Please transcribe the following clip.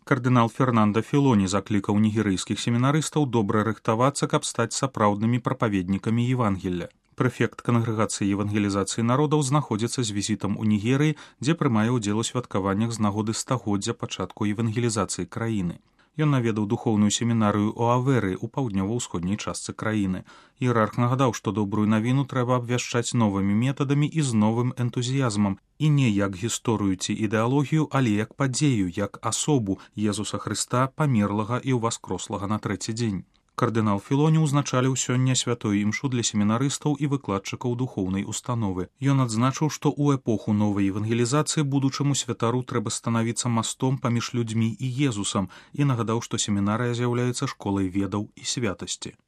Кардынал Фернандо Філоні заклікаў нігерыйскіх семінарыстаў добра рыхтавацца, каб стаць сапраўднымі прапаведнікамі Евангелля. Прэфект кангрэгацыі евангелізацыі народаў знаходзіцца з візітам у Нігерыі, дзе прымае ўдзел у святкаваннях з нагоды стагоддзя пачатку евангелізацыі краіны. Ён наведаў духоўную семінарыю Оаверы ў паўднёва-ўсходняй частцы краіны. Іерарх нагадаў, што добрую навіну трэба абвяшчаць новымі метадамі і з новым энтузіязмам, і не як гісторыю ці ідэалогію, але як падзею, як асобу Езуса Хрыста, памерлага і ўваскрослага на трэці дзень. Кардынал Філоні ўзначаліў сёння святую імшу для семінарыстаў і выкладчыкаў духоўнай установы. Ён адзначыў, што ў эпоху новай евангелізацыі будучаму святару трэба станавіцца мастом паміж людзьмі і Езусам, і нагадаў, што семінарыя з'яўляецца школай ведаў і святасці.